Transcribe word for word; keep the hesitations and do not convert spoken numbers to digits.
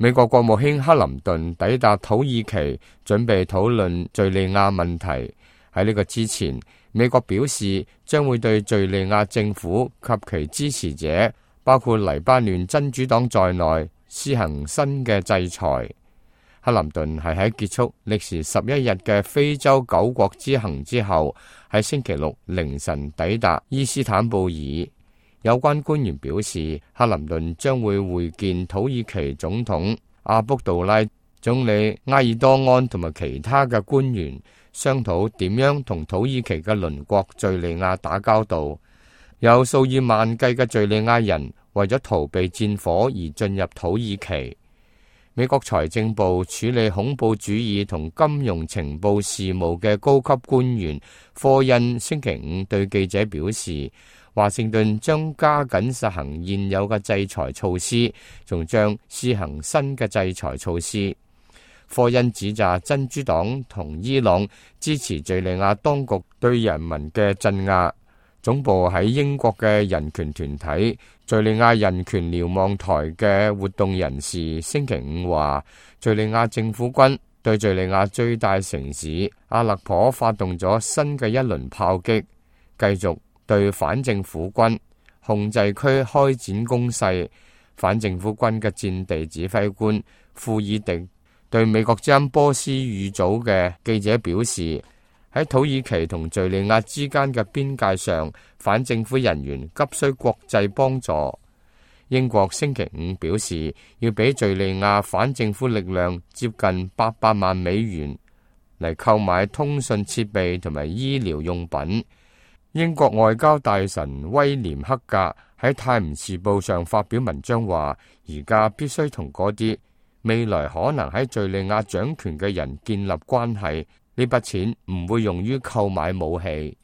美國國務卿克林頓抵達土耳其，準備討論敘利亞問題。喺呢個之前，美國表示將會對敘利亞政府及其支持者，包括黎巴嫩真主黨在內，施行新嘅制裁。克林頓係喺結束歷時十一日嘅非洲九國之行之後，喺星期六凌晨抵達伊斯坦布爾。有關官員表示，克林頓將會會見土耳其總統阿卜杜拉、總理埃爾多安同埋其他嘅官員，商討點樣同土耳其嘅鄰國敘利亞打交道。有數以萬計嘅敘利亞人為咗逃避戰火而進入土耳其。美國財政部處理恐怖主義同金融情報事務嘅高級官員科恩星期五對記者表示，華盛頓將加緊實行現有嘅制裁措施，仲將施行新嘅制裁措施。科恩指責真主黨同伊朗支持敘利亞當局對人民嘅鎮壓。總部喺英國嘅人權團體敘利亞人權瞭望台嘅活動人士星期五話，敘利亞政府軍對敘利亞最大城市阿勒頗發動咗新嘅一輪炮擊，繼續對反政府軍控制區開展攻勢。反政府軍嘅戰地指揮官庫爾迪對美國之音波斯語組嘅記者表示，喺土耳其同敘利亞之間嘅邊界上，反政府人員急需國際幫助。英國星期五表示，要俾敘利亞反政府力量接近八百萬美元嚟購買通訊設備同埋醫療用品。英國外交大臣威廉克格喺《泰晤士報》上發表文章話，而家必須同嗰啲未來可能喺敘利亞掌權嘅人建立關係。呢筆錢唔會用於購買武器。